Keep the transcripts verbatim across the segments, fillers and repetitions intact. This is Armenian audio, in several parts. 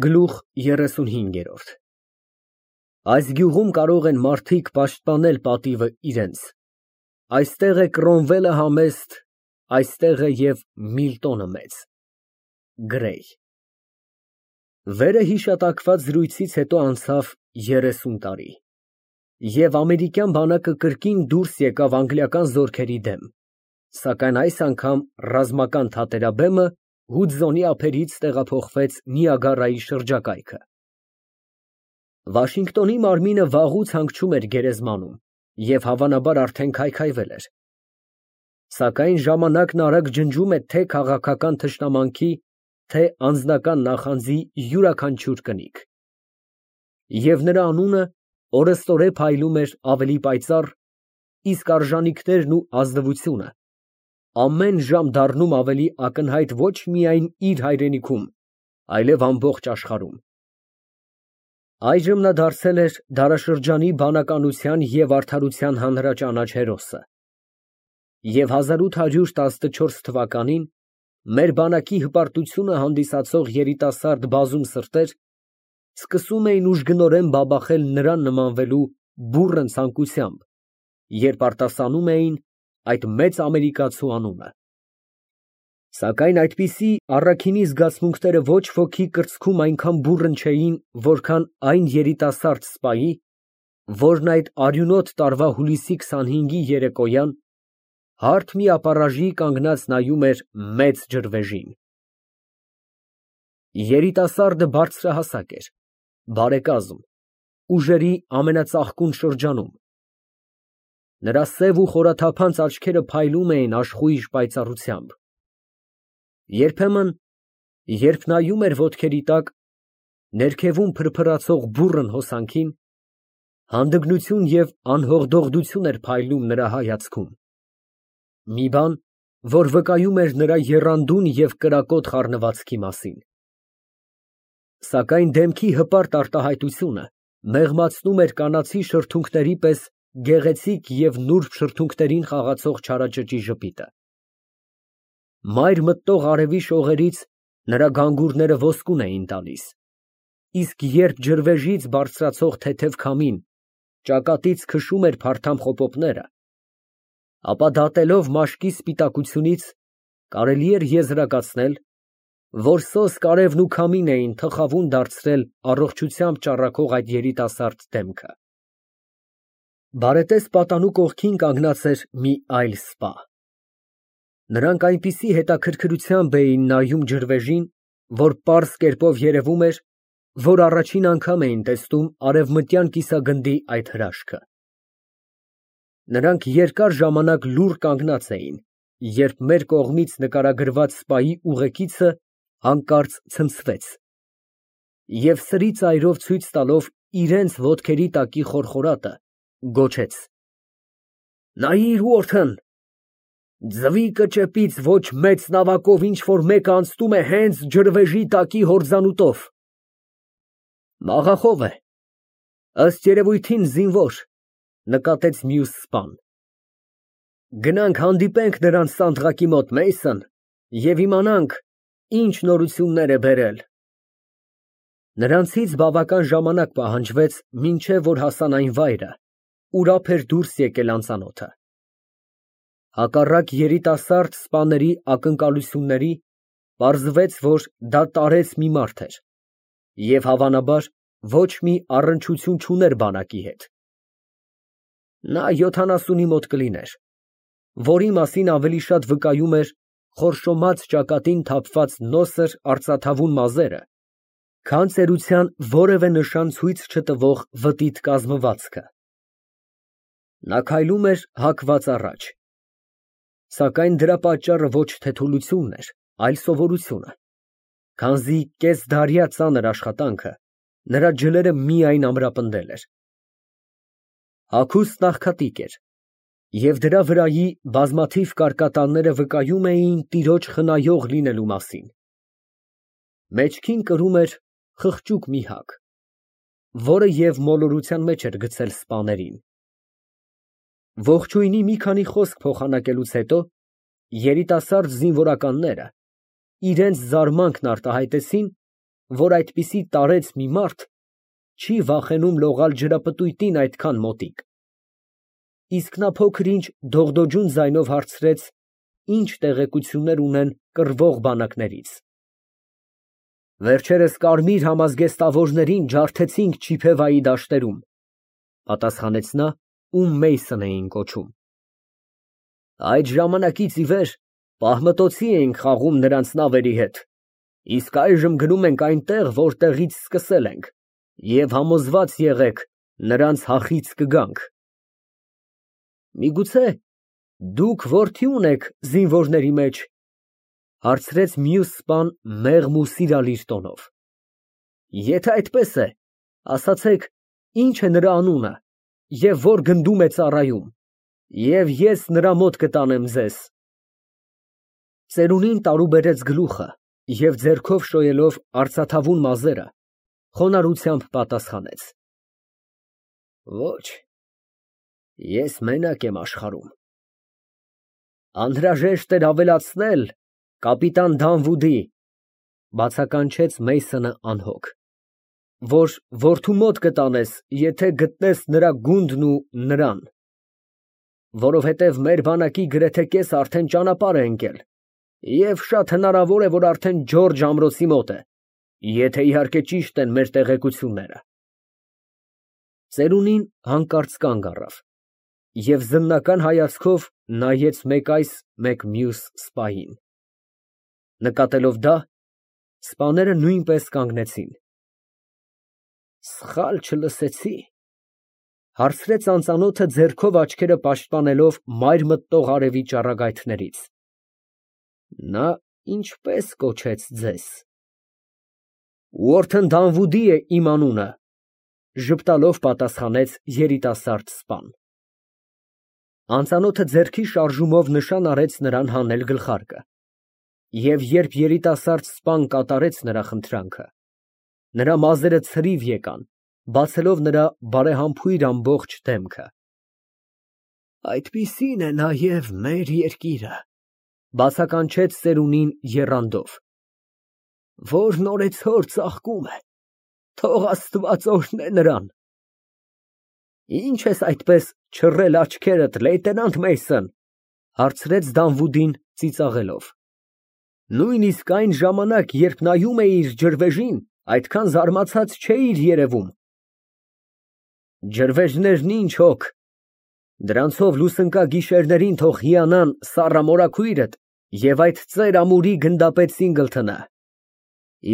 Գլուխ երեսունհինգ։ Այս գյուղում կարող են մարդիկ պաշտպանել պատիվը իրենց, այստեղ է Կրոմվելը համեստ, այստեղ է և Միլտոնը մեծ։ Գրեյ։ Վերը հիշատակված զրույցից հետո անցավ երեսուն տարի, և ամերիկյան բանակը կրկին դուրս եկավ անգլիական զորքերի դեմ, սակայն այս անգամ ռազմական թատերաբեմը Հուդզոնի ափերից տեղափոխվեց Նիագարայի շրջակայքը։ Վաշինգտոնի մարմինը վաղուց հանգչում էր գերեզմանում և հավանաբար արդեն քայքայվել էր, սակայն ժամանակն արագ ջնջում է թե քաղաքական թշնամանքի, թե անձնական նախանձի յուրաքանչյուր կնիկ, և նրա անունը օրըստօրե փայլում էր ավելի պայծառ, իսկ արժանիքներն ու ազնվությունը ամեն ժամ դառնում ավելի ակնհայտ ոչ միայն իր հայրենիքում, այլև ամբողջ աշխարհում։ Այժմ նա դարձել էր դարաշրջանի բանականության և արդարության հանրաճանաչ հերոսը, և հազար ութ հարյուր տասնչորս թվականին մեր բանակի հպարտությունը հանդիսացող երիտասարդ բազում սրտեր սկսում էին ուժգնորեն բաբախել նրան նմանվելու բուռն ցանկությամբ, երբ արտասանում էին այդ մեծ ամերիկացու անունը։ Սակայն այդպիսի առաքինի զգացմունքները ոչ ոքի կրծքում այնքան բուռն չէին, որքան այն երիտասարդ սպայի, որն այդ արյունոտ տարվա հուլիսի քսանհինգի երեկոյան հարթ մի ապառաժի կանգնած նայում էր մեծ ջրվեժին։ Երիտասարդը բարձրահասակ էր, բարեկազմ, ուժերի ամենածաղկուն շրջանում, նրա սև ու խորաթափանց աչքերը փայլում էին աշխույժ պայծառությամբ։ Երբեմն, երբ նայում էր ոտքերի տակ, ներքևում փրփրացող բուռն հոսանքին, հանդգնություն և անհողդողդություն էր փայլում նրա հայացքում, մի բան, որ վկայում էր նրա եռանդուն և կրակոտ խառնվածքի մասին։ Սակայն դեմքի հպարտ արտահայտությունը մեղմացնում էր կանացի շրթունքների պես գեղեցիկ և նուրբ շրթունքներին խաղացող չարաճճի ժպիտը։ Մայր մտնող արևի շողերից նրա գանգուրները ոսկուն էին տալիս, իսկ երբ ջրվեժից բարձրացող թեթև քամին ճակատից քշում էր փարթամ խոպոպները, ապա դատելով մաշկի սպիտակությունից կարելի էր եզրակացնել, որ սոսկ արևն ու քամին էին թխավուն դարձրել առողջությամբ ճառագող այդ երիտասարդ դեմքը։ Բարետես պատանու կողքին կանգնած էր մի այլ սպա։ Նրանք այնպիսի հետաքրքրությամբ էին նայում ջրվեժին, որ պարզ կերպով երևում էր, որ առաջին անգամ էին տեսնում արևմտյան կիսագնդի այդ հրաշքը։ Նրանք երկար ժամանակ լուռ կանգնած էին, երբ մեր կողմից նկարագրված սպայի ուղեկիցը հանկարծ ցնցվեց և սրի ծայրով ցույց տալով իրենց ոտքերի տակի խորխորատը, գոչեց. «Նայիր, Ուորթն, ձվի կճեպից ոչ մեծ նավակով ինչ֊որ մեկը անցնում է հենց ջրվեժի տակի հորձանուտով»։ «Մաղախով է, ըստ երևույթին զինվոր», ֊ նկատեց մյուս սպան։ «Գնանք հանդիպենք նրան սանդղակի մոտ, Մեյսոն, և իմանանք ինչ նորություններ է բերել»։ Նրանցից բավական ժամանակ պահանջվեց, մինչև որ հասան այն վայրը, ուր ափ էր դուրս եկել անծանոթը։ Հակառակ երիտասարդ սպաների ակնկալությունների, պարզվեց, որ դա տարեց մի մարդ էր և, հավանաբար, ոչ մի առնչություն չուներ բանակի հետ։ Նա յոթանասունի մոտ կլիներ, որի մասին ավելի շատ վկայում էր խորշոմած ճակատին թափված նոսր արծաթավուն մազերը, քան ծերության որևէ նշան ցույց չտվող վտիտ կազմվածքը։ Նա քայլում էր հակված առաջ, սակայն դրա պատճառը ոչ թե թուլությունն էր, այլ սովորությունը, քանզի կեսդարյա ծանր աշխատանքը նրա ջլերը միայն ամրապնդել էր։ Հագուստն աղքատիկ էր, և դրա վրայի բազմաթիվ կարկատանները վկայում էին տիրոջ խնայող լինելու մասին։ Մեջքին կրում էր խղճուկ մի հագ, որը և մոլորության մեջ էր գցել սպաներին։ Ողջույնի մի քանի խոսք փոխանակելուց հետո երիտասարդ զինվորականները իրենց զարմանքն արտահայտեցին որ այդպիսի տարեց մի մարդ չի վախենում լողալ ջրապտույտին այդքան մոտիկ։ Իսկ նա փոքր-ինչ դողդոջուն ձայնով հարցրեց, ինչ տեղեկություններ ունեն կռվող բանակներից։ Վերջերս կարմիր համազգեստավորներին ջարդեցինք Չիփևայի դաշտերում, պատասխանեց նա, ում Մեյսոն էին կոչում։ Այդ ժամանակից ի վեր պահմտոցի էինք խաղում նրանց նավերի հետ, իսկ այժմ գնում ենք այնտեղ, որտեղից սկսել ենք, և համոզված եղեք, նրանց հախից կգանք։ Միգուցե դուք որդի ունեք զինվորների մեջ, հարցրեց մյուս սպան մեղմ ու սիրալիր տոնով։ Եթե այդպես է, ասացեք, ինչ է նրա անունը և որ գնդում է ծառայում, և ես նրա մոտ կտանեմ ձեզ։ Ծերունին տարուբերեց գլուխը և ձեռքով շոյելով արծաթավուն մազերը, խոնարհությամբ պատասխանեց. Ոչ, ես մենակ եմ աշխարհում։ Անհրաժեշտ էր ավելացնել, կապիտան Դանվուդի, բացականչեց Մեյսոնը անհոգ, որ որդու մոտ կտանես, եթե գտնես նրա գունդն ու նրան, որովհետև մեր բանակի գրեթե կեսը արդեն ճանապարհ է ընկել, և շատ հնարավոր է, որ արդեն Ջորջ ամրոցի մոտ է, եթե իհարկե ճիշտ են մեր տեղեկությունները։ Ծերունին հանկարծ կանգ առավ և զննական հայացքով նայեց մեկ այս, մեկ մյուս սպային։ Նկատելով դա, սպաները նույնպես կանգնեցին։ Սխալ չլսեցի, հարցրեց անծանոթը ձեռքով աչքերը պաշտպանելով մայր մտնող արևի ճառագայթներից։ Նա ինչպես կոչեց ձեզ։ Ուորթեն Դանվուդի է իմ անունը, ժպտալով պատասխանեց երիտասարդ սպան։ Անծանոթը ձեռքի շարժումով նշան արեց նրան հանել գլխարկը, և երբ երիտասարդ սպան կատարեց նրա խնդրանքը, նրա մազերը ցրիվ եկան, բացելով նրա բարեհամբույր ամբողջ դեմքը։ Այդպիսին է նաև մեր երկիրը, բացականչեց ծերունին եռանդով, որն օրեցօր ծաղկում է, թող Աստված օրհնե նրան։ Ինչ ես այդպես չռել աչքերդ, լեյտենանտ Մեյսոն, հարցրեց Դանվուդին ծիծաղելով։ Նույնիսկ այն ժամանակ, երբ նայում էիր ջրվեժին, այդքան զարմացած չէիր երևում։ Ջրվեժներն ինչ հոգ, դրանցով լուսնկա գիշերներին թող հիանան սառը մորաքույրդ և այդ ծեր ամուրի գնդապետ Սինգլթոնը,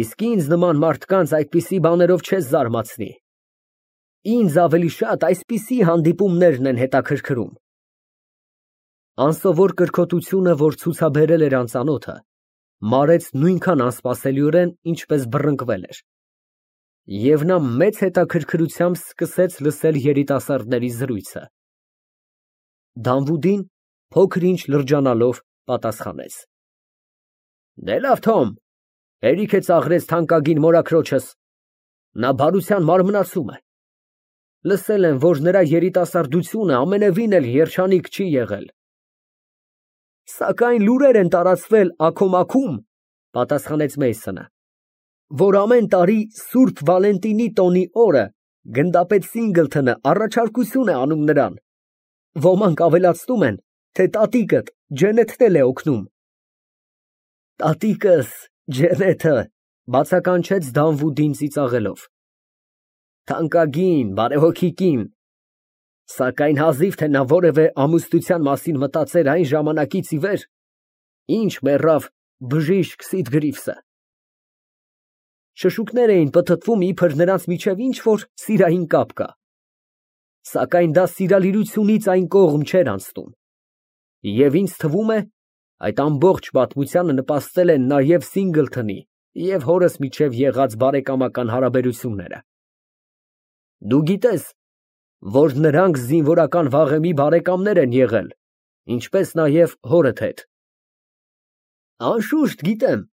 իսկ ինձ նման մարդկանց այդպիսի բաներով չես զարմացնի։ Ինձ ավելի շատ այսպիսի հանդիպումներն են հետաքրքրում։ Անսովոր կրքոտությունը, որ ցուցաբերել էր անծանոթը, մարեց նույնքան անսպասելիորեն, ինչպես բռնկվել էր, և նա մեծ հետաքրքրությամբ սկսեց լսել երիտասարդների զրույցը։ Դանվուդին, փոքր-ինչ լրջանալով, պատասխանեց. Դե լավ, Թոմ, հերիք է ծաղրես թանկագին մորաքրոջս, նա բարության մարմնացում է։ Լսել եմ, որ նրա երիտասարդությունը ամենևին էլ երջանիկ չի եղել։ Սակայն լուրեր են տարածվել աքոմաքում, պատասխանեց Մեյսոնը, որ ամեն տարի Սուրբ Վալենտինի տոնի օրը գնդապետ Սինգլթոնը առաջարկություն է անում նրան։ Ոմանք ավելացնում են, թե տատիկդ Ջենեթն էլ է օգնում։ Տատիկս Ջենեթը, բացականչեց Դանվուդին ծիծաղելով։ Թանկագին, բարեհոգի կին, սակայն հազիվ թե նա որևէ ամուսնության մասին մտածեր այն ժամանակից ի վեր, ինչ մեռավ բժիշկ Սիդգրիվսը։ Շշուկներ էին պտտվում, իբր նրանց միջև ինչ-որ սիրային կապ կա, սակայն դա սիրալիրությունից այն կողմ չէր անցնում, և ինձ թվում է, այդ ամբողջ պատմությանը նպաստել են նաև Սինգլթոնի և հորս միջև եղած բարեկամական հարաբերությունները։ Դու գիտես, որ նրանք զինվորական վաղեմի բարեկամներ են եղել, ինչպես նաև հորդ հետ։ Անշուշտ գիտեմ,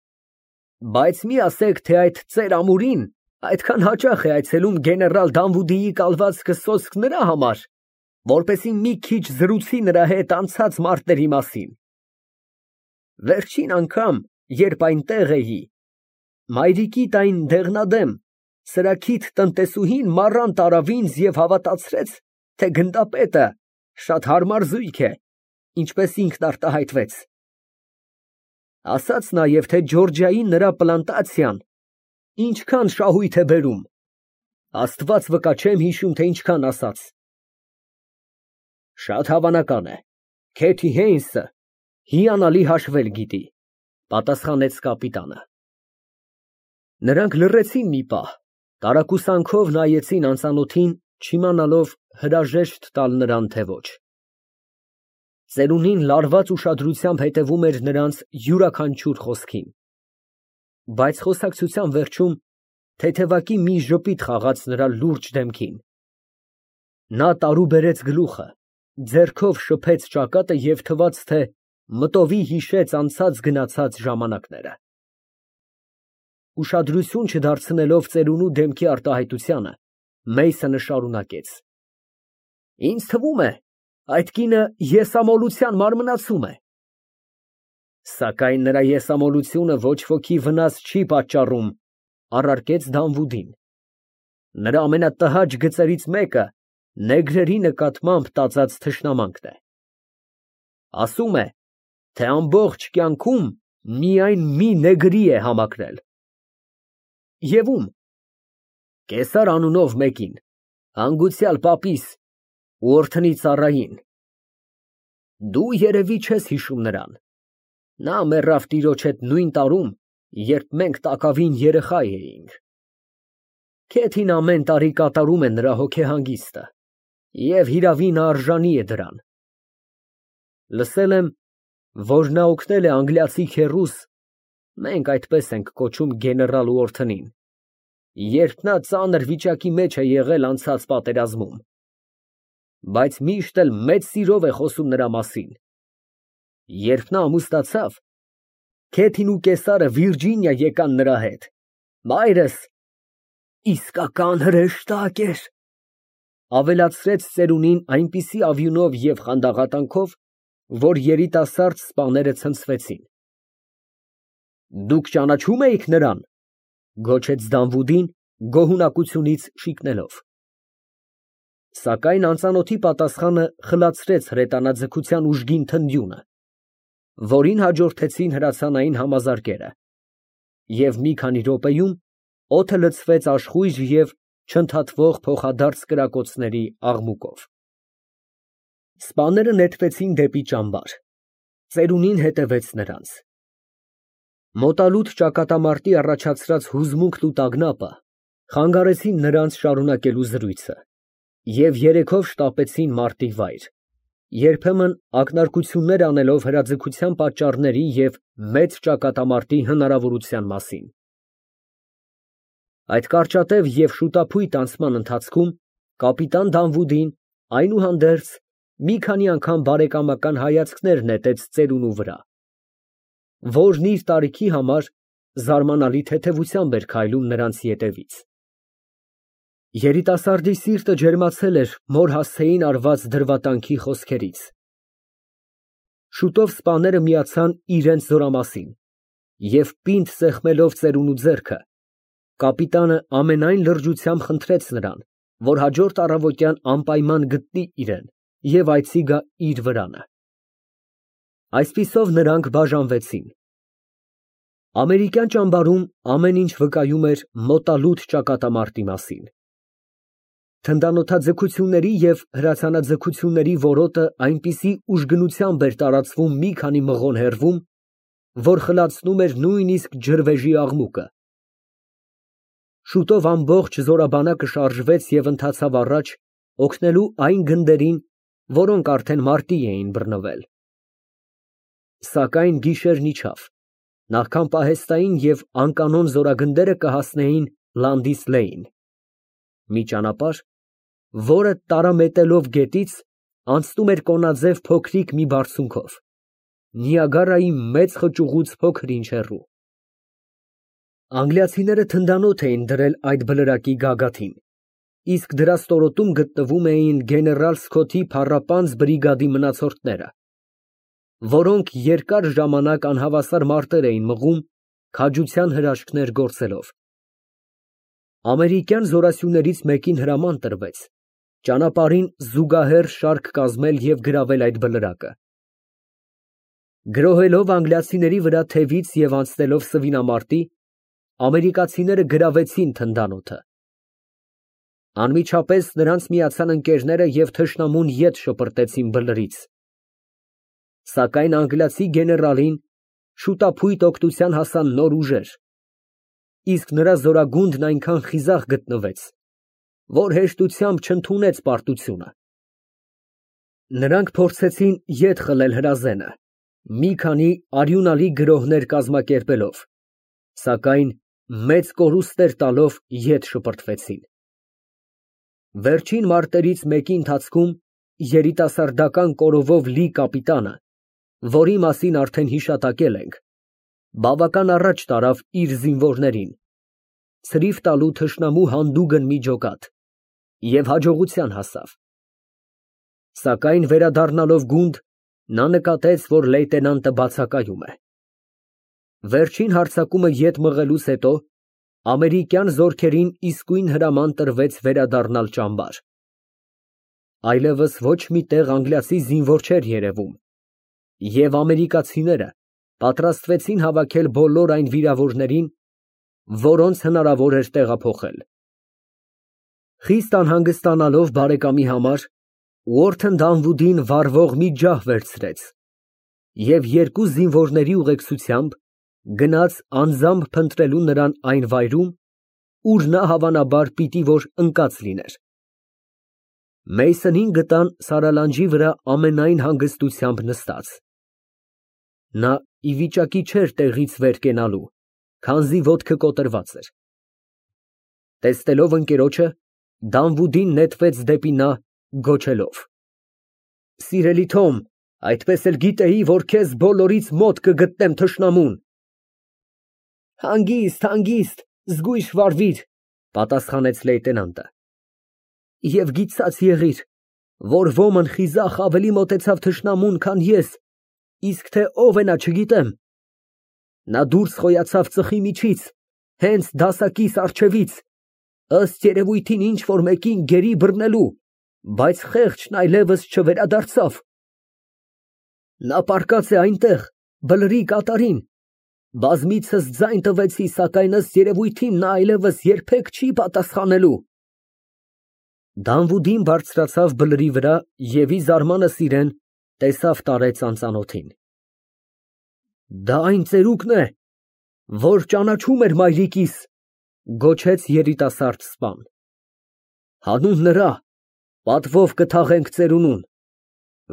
բայց մի ասեք, թե այդ ծեր ամուրին այդքան հաճախ է այցելում գեներալ Դանվուդիի կալվածքը սոսկ նրա համար, որպեսզի մի քիչ զրուցի նրա հետ անցած մարտերի մասին։ Վերջին անգամ, երբ այնտեղ էի, մայրիկիդ այն դեղնադեմ, սրաքիթ տնտեսուհին մառան տարավ ինձ և հավատացրեց, թե գնդապետը շատ հարմար զույգ է, ինչպես ինքն արտահայտվեց. ասաց նաև, թե Ջորջիայի նրա պլանտացիան ինչքան շահույթ է բերում, Աստված վկա, չեմ հիշում, թե ինչքան ասաց։ Շատ հավանական է, Քեթի Հեյնսը հիանալի հաշվել գիտի, պատասխանեց կապիտանը։ Նրանք լռեցին մի պահ, տարակուսանքով նայեցին անծանոթին, չիմանալով հրաժեշտ տալ նրան, թե ոչ։ Ծերունին լարված ուշադրությամբ հետևում էր նրանց յուրաքանչյուր խոսքին։ Բայց խոսակցության վերջում թեթևակի մի ժպիտ խաղաց նրա լուրջ դեմքին։ Նա տարուբերեց գլուխը, ձեռքով շփեց ճակատը և թվաց, թե մտովի հիշեց անցած գնացած ժամանակները։ Ուշադրություն չդարձնելով ծերունու դեմքի արտահայտությանը, Մեյսոնը շարունակեց. Ինձ թվում է, այդ կինը եսամոլության մարմնացում է։ Սակայն նրա եսամոլությունը ոչ ոքի վնաս չի պատճառում, առարկեց Դանվուդին։ Նրա ամենատհաճ գծերից մեկը նեգրերի նկատմամբ տածած թշնամանքն է։ Ասում է, թե ամբողջ կյանքում միայն մի նեգրի է համակրել։ Եվ ում։ Կեսար անունով մեկին, հանգուցյալ պապիս ու օրդնի ծառային։ Դու երևի չես հիշում նրան։ Նա մեռավ տիրոջ հետ նույն տարում, երբ մենք տակավին երեխա էինք։ Քեթին ամեն տարի կատարում է նրա հոգեհանգիստը, և հիրավի նա արժանի է դրան։ Լսել եմ, որ նա օգնել է անգլիացի քեռուս, մենք այդպես ենք կոչում գեներալ Ուորթնին, երբ նա ծանր վիճակի մեջ է եղել անցած պատերազմում, բայց միշտ էլ մեծ սիրով է խոսում նրա մասին։ Երբ նա ամուսնացավ, Քեթին ու կեսարը Վիրջինիա եկան նրա հետ։ Մայրս իսկական հրեշտակ էր, ավելացրեց ծերունին այնպիսի ավյունով և խանդաղատանքով, որ երիտասարդ սպաները ցնցվեցին։ Դուք ճանաչո՞ւմ էիք նրան, գոչեց Դանվուդին, գոհունակությունից շիկնելով։ Սակայն անծանոթի պատասխանը խլացրեց հրետանաձգության ուժգին թնդյունը, որին հաջորդեցին հրացանային համազարկերը, և մի քանի րոպեում օդը լցվեց աշխույժ և չընդհատվող փոխադարձ կրակոցների աղմուկով։ Սպաները նետվեցին դեպի ճամբար, ծերունին հետևեց նրանց։ Մոտալուտ ճակատամարտի առաջացրած հուզմունքն ու տագնապը խանգարեցին նրանց շարունակելու զրույցը և երեքով շտապեցին մարտի վայր, երբեմն ակնարկություններ անելով հրաձգության պատճառների և մեծ ճակատամարտի հնարավորության մասին։ Այդ կարճատև և շուտափույթ անցման ընթացքում կապիտան Դանվուդին, այնուհանդերձ, մի քանի անգամ բարեկամական հայացքներ նետեց ծերունու վրա, որն իր տարիքի համար զարմանալի թեթևությամբ էր քայլում նրանց ետևից։ Երիտասարդի սիրտը ջերմացել էր մոր հասցեին արված դրվատանքի խոսքերից։ Շուտով սպաները միացան իրենց զորամասին, և պինդ սեղմելով ծերունու ձեռքը, կապիտանը ամենայն լրջությամբ խնդրեց նրան, որ հաջորդ առավոտյան անպայման գտնի իրեն և այցի գա իր վրանը։ Այսպիսով նրանք բաժանվեցին։ Ամերիկյան ճամբարում ամեն ինչ վկայում էր մոտալուտ ճակատամարտի մասին։ Թնդանոթաձգությունների և հրացանաձգությունների որոտը այնպիսի ուժգնությամբ էր տարածվում մի քանի մղոն հեռվում, որ խլացնում էր նույնիսկ ջրվեժի աղմուկը։ Շուտով ամբողջ զորաբանակը շարժվեց և ընթացավ առաջ, օգնելու այն գնդերին, որոնք արդեն մարտի էին բռնվել։ Սակայն գիշերն իջավ, նախքան պահեստային և անկանոն զորագնդերը կհասնեին Լանդիսլեին, մի ճանապարհ, որը տարամետելով գետից, անցնում էր կոնաձև փոքրիկ մի բարձունքով, Նիագարայի մեծ խճուղուց փոքր ինչ հեռու։ Անգլիացիները թնդանոթ էին դրել այդ բլրակի գագաթին, իսկ դրա ստորոտում գտնվում էին գեներալ Սքոթի փառապանծ բրիգադի մնացորդները, որոնք երկար ժամանակ անհավասար մարտեր էին մղում Քաջության հրաշքներ գործելով։ Ամերիկյան զորասյուներից մեկին հրաման տրվեց ճանապարհին զուգահեռ շարք կազմել և գրավել այդ բլրակը։ Գրոհելով անգլիացիների վրա թևից և անցնելով սվինամարտի, ամերիկացիները գրավեցին թնդանոթը։ Անմիջապես նրանց միացան ընկերները և թշնամուն ետ շպրտեցին բլրից։ Սակայն անգլիացի գեներալին շուտափույթ օգնության հասան նոր ուժեր, իսկ նրա զորագունդն այնքան խիզախ գտնվեց, որ հեշտությամբ չընդունեց պարտությունը։ Նրանք փորձեցին ետ խլել հրազենը, մի քանի արյունալի գրոհներ կազմակերպելով, սակայն մեծ կորուստներ տալով ետ շպրտվեցին։ Վերջին մարտերից մեկի ընթացքում երիտասարդական կորովով լի կապիտանը, որի մասին արդեն հիշատակել ենք, բավական առաջ տարավ իր զինվորներին, ցրիվ տալու թշնամու հանդուգն մի ջոկատ և հաջողության հասավ։ Սակայն վերադառնալով գունդ, նա նկատեց, որ լեյտենանտը բացակայում է։ Վերջին հարձակումը ետ մղելուց հետո ամերիկյան զորքերին իսկույն հրաման տրվեց վերադառնալ ճամբար։ Այլևս ոչ մի տեղ անգլիացի զինվոր չէր երևում, և ամերիկացիները պատրաստվեցին հավաքել բոլոր այն վիրավորներին, որոնց հնարավոր էր տեղափոխել։ Խիստ անհանգստանալով բարեկամի համար, Ուորթեն Դանվուդին վառվող մի ջահ վերցրեց և երկու զինվորների ուղեկցությամբ գնաց անձամբ փնտրելու նրան այն վայրում, ուր նա հավանաբար պիտի որ ընկած լիներ։ Մեյսոնին գտան սարալանջի վրա ամենայն հանգստությամբ նստած։ Նա ի վիճակի չէր տեղից վեր կենալու, քանզի ոտքը կոտրված էր։ Տեսնելով ընկերոջը, Դանվուդին նետվեց դեպի նա, գոչելով. «Սիրելի Թոմ, այդպես էլ գիտեի, որ քեզ բոլորից մոտ կգտնեմ թշնամուն»։ «Հանգիստ, հանգիստ, զգույշ վարվիր», պատասխանեց լեյտենանտը, «և գիտած եղիր, որ ոմն խիզախ ավելի մոտեցավ թշնամուն, քան ես, իսկ թե ով է նա չգիտեմ։ Նա դուրս խոյացավ ծխի միջից, հենց դասակիս առջևից, ըստ երևույթին ինչ֊որ մեկին գերի բռնելու, բայց խեղճն այլևս չվերադարձավ։ Նա պառկած է այնտեղ, բլրի կատարին, բազմիցս ձայն տվեցի, սակայն ըստ երևույթին նա այլևս երբեք չի պատասխանելու»։ Դանվուդին բարձրացավ բլրի վրա և ի զարմանս իրեն տեսավ տարեց անծանոթին։ «Դա այն ծերուկն է, որ ճանաչում էր մայրիկիս», գոչեց երիտասարդ սպան։ «Հանուն նրա պատվով կթաղենք ծերունուն,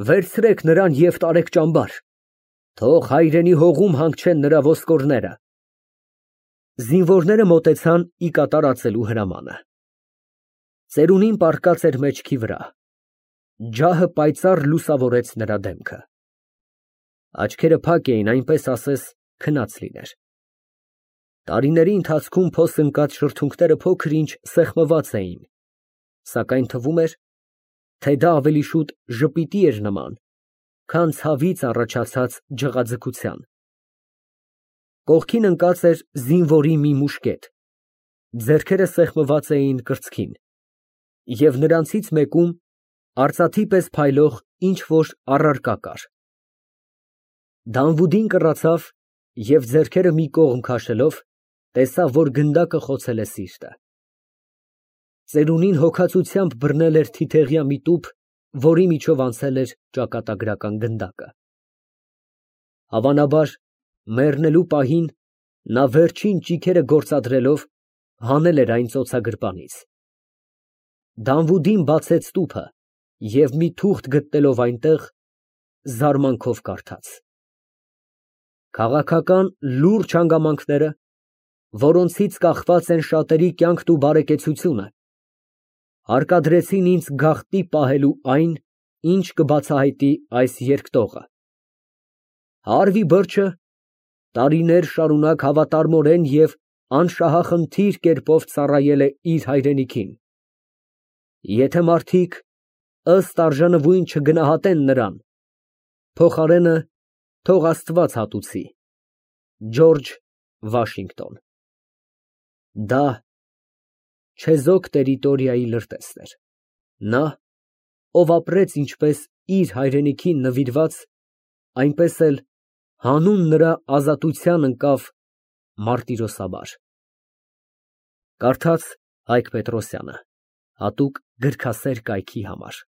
վերցրեք նրան և տարեք ճամբար, թող հայրենի հողում հանգչեն նրա ոսկորները»։ Զինվորները մոտեցան ի կատարածելու հրամանը։ Ծերունին պառկած էր մեջքի վրա, ջահը պայծառ լուսավորեց նրա դեմքը։ Աչքերը փակ էին, այնպես ասես քնած լիներ։ Տարիների ընթացքում փոս ընկած շրթունքները փոքր-ինչ սեղմված էին, սակայն թվում էր, թե դա ավելի շուտ ժպիտի էր նման, քան ցավից առաջացած ջղաձգության։ Կողքին ընկած էր զինվորի մի մուշկետ, ձեռքերը սեղմված էին կրծքին, և նրանցից մեկում արծաթի պես փայլող ինչ֊որ առարկա կար։ Դանվուդին կռացավ և ձեռքերը մի կողմ քաշելով, տեսավ, որ գնդակը խոցել է սիրտը։ Ծերունին հոգածությամբ բռնել էր թիթեղյա մի տուփ, որի միջով անցել էր ճակատագրական գնդակը։ Հավանաբար, մեռնելու պահին նա վերջին ճիգերը գործադրելով հանել էր այն ծոցագրպանից։ Դանվուդին բացեց տուփը և մի թուղթ գտնելով այնտեղ, զարմանքով կարդաց. «Քաղաքական լուրջ հանգամանքները, որոնցից կախված են շատերի կյանքն ու բարեկեցությունը, հարկադրեցին ինձ գաղտնի պահելու այն, ինչ կբացահայտի այս երկտողը։ Հարվի Բըրչը տարիներ շարունակ հավատարմորեն և անշահախնդիր կերպով ծառայել է իր հայրենիքին։ Եթե մարդիկ ըստ արժանվույն չգնահատեն նրան, փոխարենը թող Աստված հատուցի։ Ջորջ Վաշինգտոն։ Դա չեզոք տերիտորիայի լրտեսն էր, նա, ով ապրեց ինչպես իր հայրենիքին նվիրված, այնպես էլ հանուն նրա ազատության ընկավ մարտիրոսաբար։ Կարդաց Հայկ Պետրոսյանը, հատուկ գրքասեր կայքի համար։